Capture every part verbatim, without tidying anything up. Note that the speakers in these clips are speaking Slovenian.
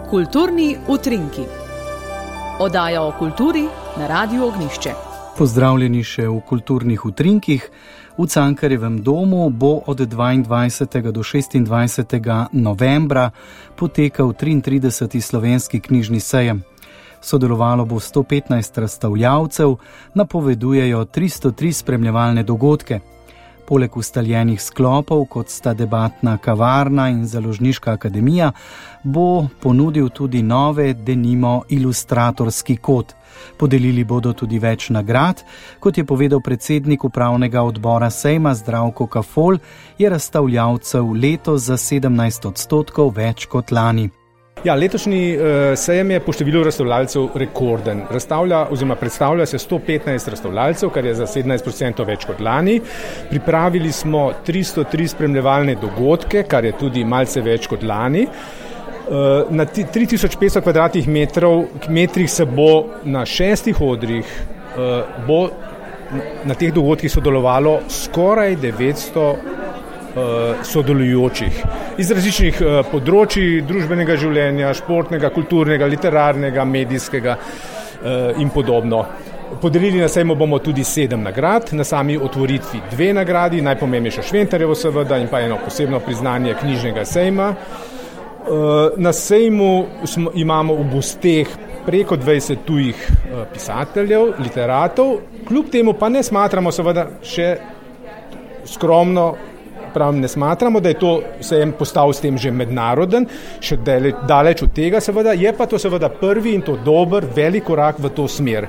Kulturni utrinki. Oddaja o kulturi na Radiu Ognjišče. Pozdravljeni še v kulturnih utrinkih. V Cankarjevem domu bo od dvaindvajsetega do šestindvajsetega novembra potekal triintrideseti slovenski knjižni sejem. Sodelovalo bo sto petnajst razstavljavcev, napovedujejo tristo tri spremljevalne dogodke. Poleg ustaljenih sklopov, kot sta debatna kavarna in založniška akademija, bo ponudil tudi nove, denimo ilustratorski kot. Podelili bodo tudi več nagrad. Kot je povedal predsednik upravnega odbora sejma Zdravko Kafol, je razstavljavcev letos za sedemnajst odstotkov več kot lani. Ja, letošnji uh, sejem je po številu razstavljalcev rekorden. Razstavlja oziroma predstavlja se sto petnajst razstavljalcev, kar je za sedemnajst odstotkov več kot lani. Pripravili smo tristo tri spremljevalne dogodke, kar je tudi malce več kot lani. Uh, na tri tisoč petsto kvadratnih metrov, metrih se bo na šestih odrih uh, bo na teh dogodkih sodelovalo skoraj devetsto sodelujočih iz različnih področji družbenega življenja, športnega, kulturnega, literarnega, medijskega in podobno. Podelili na sejmu bomo tudi sedem nagrad, na sami otvoritvi dve nagradi, najpomembnejšo Šventarjevo seveda in pa eno posebno priznanje knjižnega sejma. Na sejmu smo, imamo v gosteh preko dvajset tujih pisateljev, literatov, kljub temu pa ne smatramo seveda še skromno, pravim, ne smatramo, da je to sejem postal s tem že mednaroden, še daleč, daleč od tega seveda, je pa to seveda prvi in to dober, velik korak v to smer.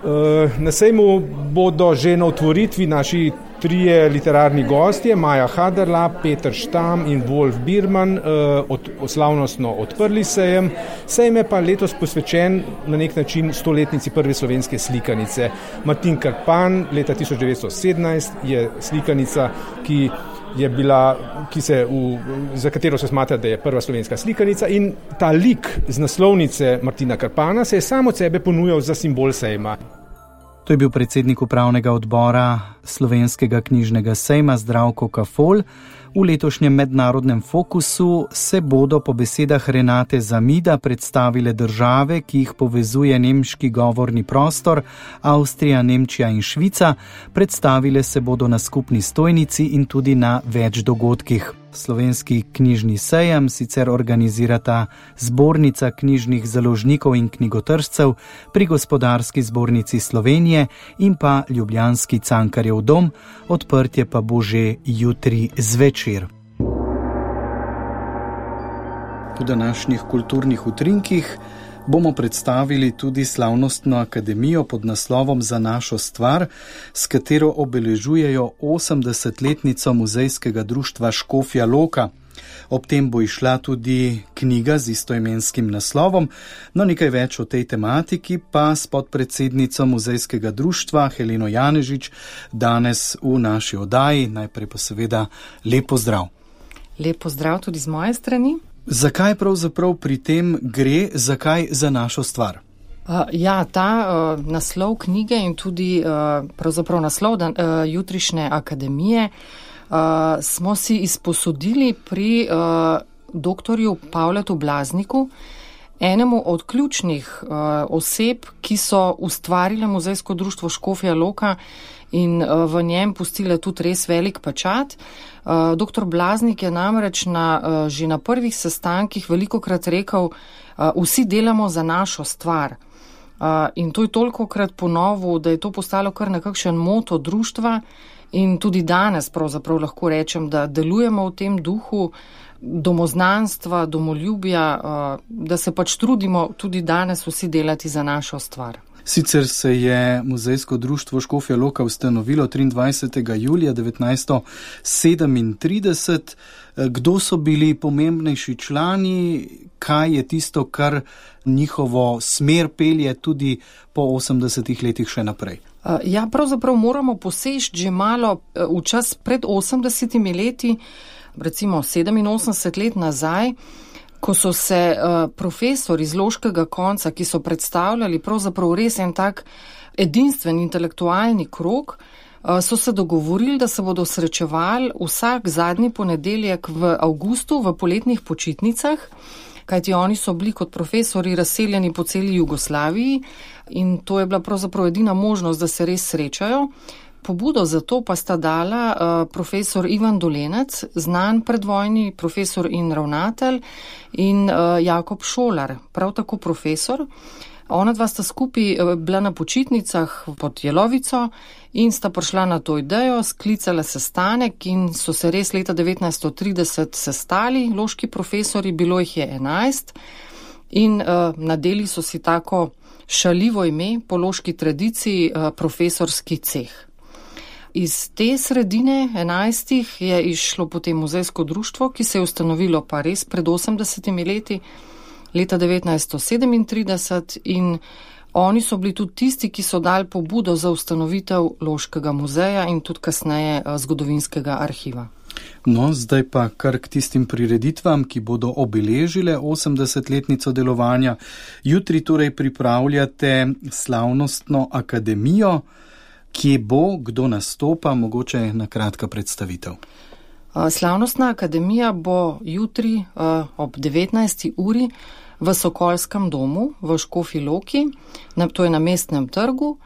Na sejmu bodo že na otvoritvi naši trije literarni gostje, Maja Haderla, Peter Štam in Wolf Birman, od, slavnostno odprli sejem. Sejem je pa letos posvečen na nek način stoletnici prve slovenske slikanice. Martin Krpan, leta tisoč devetsto sedemnajst, je slikanica, ki je bila, ki se v, za katero se smatra, da je prva slovenska slikanica, in ta lik z naslovnice Martina Krpana se je samo od sebe ponujal za simbol sejma. To je bil predsednik upravnega odbora Slovenskega knjižnega sejma Zdravko Kafol. V letošnjem mednarodnem fokusu se bodo po besedah Renate Zamida predstavile države, ki jih povezuje nemški govorni prostor, Avstrija, Nemčija in Švica. Predstavile se bodo na skupni stojnici in tudi na več dogodkih. Slovenski knjižni sejem sicer organizirata Zbornica knjižnih založnikov in knjigotržcev pri Gospodarski zbornici Slovenije in pa ljubljanski Cankarjev dom, odprtje pa bo že jutri zvečer. Po današnjih kulturnih utrinkih bomo predstavili tudi slavnostno akademijo pod naslovom Za našo stvar, s katero obeležujejo osemdesetletnico muzejskega društva Škofja Loka. Ob tem bo išla tudi knjiga z istoimenskim naslovom, no nekaj več o tej tematiki pa s podpredsednico muzejskega društva Heleno Janežič danes v naši oddaji. Najprej pa seveda lep pozdrav. Lep pozdrav tudi z moje strani. Zakaj pravzaprav pri tem gre, zakaj za našo stvar? Uh, ja, ta uh, naslov knjige in tudi uh, pravzaprav naslov dan, uh, jutrišnje akademije uh, smo si izposodili pri uh, doktorju Pavletu Blazniku, enemu od ključnih uh, oseb, ki so ustvarile muzejsko društvo Škofja Loka in uh, v njem pustile tudi res velik pečat. Uh, doktor Blaznik je namreč na, uh, že na prvih sestankih velikokrat rekel, uh, vsi delamo za našo stvar. Uh, in to je tolikokrat ponovil, da je to postalo kar nekakšen moto društva in tudi danes pravzaprav lahko rečem, da delujemo v tem duhu domoznanstva, domoljubja, uh, da se pač trudimo tudi danes vsi delati za našo stvar. Sicer se je muzejsko društvo Škofja Loka ustanovilo triindvajsetega julija devetnajststo sedemintrideset. Kdo so bili pomembnejši člani, kaj je tisto, kar njihovo smer pelje tudi po osemdesetih letih še naprej? Ja, pravzaprav moramo poseči že malo v čas pred osemdesetimi leti, recimo sedeminosemdeset let nazaj, ko so se uh, profesori iz loškega konca, ki so predstavljali pravzaprav res en tak edinstven intelektualni krog, uh, so se dogovorili, da se bodo srečevali vsak zadnji ponedeljek v avgustu v poletnih počitnicah kajti oni so bili kot profesori razseljeni po celi Jugoslaviji in to je bila pravzaprav edina možnost, da se res srečajo. Pobudo za to pa sta dala uh, profesor Ivan Dolenec, znan predvojni profesor in ravnatelj, in uh, Jakob Šolar, prav tako profesor. Ona dva sta skupaj uh, bila na počitnicah pod Jelovico in sta prišla na to idejo, sklicala sestanek in so se res leta devetnajststo trideset sestali, loški profesori, bilo jih je enajst in uh, nadeli so si tako šaljivo ime po loški tradiciji uh, profesorski ceh. Iz te sredine enajstih je išlo potem muzejsko društvo, ki se je ustanovilo pa res pred osemdesetimi leti, leta devetnajststo sedemintrideset, in oni so bili tudi tisti, ki so dali pobudo za ustanovitev Loškega muzeja in tudi kasneje zgodovinskega arhiva. No, zdaj pa kar k tistim prireditvam, ki bodo obeležile osemdesetletnico delovanja. Jutri torej pripravljate slavnostno akademijo. Kje bo, kdo nastopa, mogoče na kratka predstavitev? Slavnostna akademija bo jutri ob devetnajsti uri v Sokolskem domu v Škofji Loki, to je na Mestnem trgu.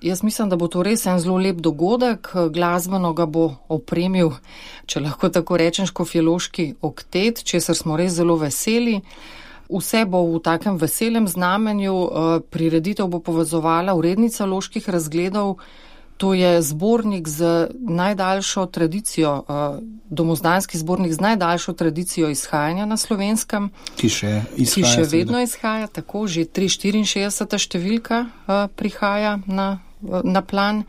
Jaz mislim, da bo to res en zelo lep dogodek, glasbeno ga bo opremil, če lahko tako rečem, škofjeloški oktet, česar smo res zelo veseli. Vse bo v takem veselem znamenju, prireditev bo povezovala urednica Loških razgledov, to je zbornik z najdaljšo tradicijo, domozdanski zbornik z najdaljšo tradicijo izhajanja na Slovenskem. Ki še izhaja. Ki še vedno izhaja, tako, že tristo štiriinšestdeseta številka prihaja na, na plan.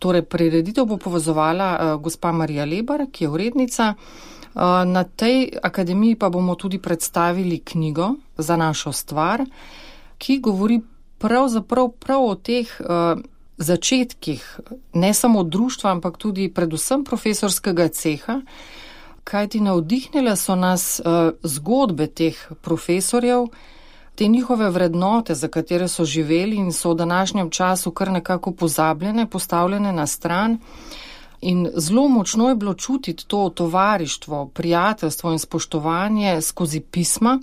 Torej, prireditev bo povezovala gospa Marija Lebar, ki je urednica. Na tej akademiji pa bomo tudi predstavili knjigo Za našo stvar, ki govori pravzaprav prav o teh uh, začetkih, ne samo društva, ampak tudi predvsem profesorskega ceha, kajti navdihnile so nas uh, zgodbe teh profesorjev, te njihove vrednote, za katere so živeli in so v današnjem času kar nekako pozabljene, postavljene na stran. In zelo močno je bilo čutiti to tovarištvo, prijateljstvo in spoštovanje skozi pisma,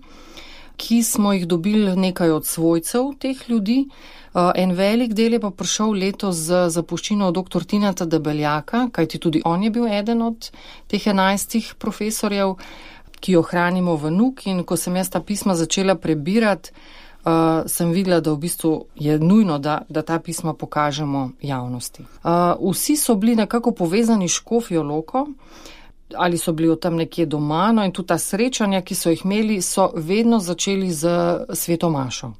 ki smo jih dobili nekaj od svojcev teh ljudi. En velik del je pa prišel letos z zapuščino doktor Tineta Debeljaka, kajti tudi on je bil eden od teh enajstih profesorjev, ki jo hranimo v Nuk, in ko sem jaz ta pisma začela prebirati, Uh, sem videla, da v bistvu je nujno, da, da ta pisma pokažemo javnosti. Uh, vsi so bili nekako povezani s Škofjo Loko, ali so bili tam nekje doma, no, in tudi ta srečanja, ki so jih imeli, so vedno začeli z sveto mašo.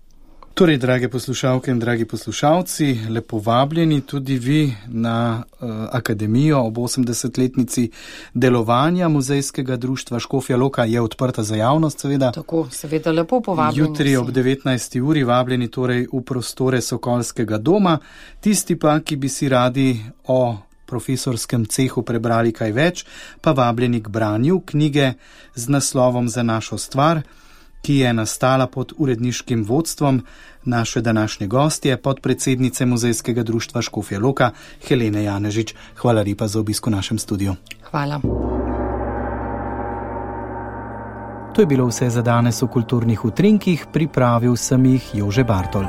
Torej, drage poslušalke in dragi poslušalci, lepo vabljeni tudi vi na uh, akademijo ob osemdesetletnici delovanja Muzejskega društva. Škofja Loka je odprta za javnost, seveda. Tako, seveda, lepo povabljeni. Jutri ob devetnajsti uri vabljeni torej v prostore Sokolskega doma. Tisti pa, ki bi si radi o profesorskem cehu prebrali kaj več, pa vabljeni k branju knjige z naslovom Za našo stvar, ki je nastala pod uredniškim vodstvom naše današnje gostje, podpredsednice Muzejskega društva Škofja Loka, Helene Janežič. Hvala lepa za obisk v našem studiu. Hvala. To je bilo vse za danes v Kulturnih utrinkih, pripravil sem jih Jože Bartol.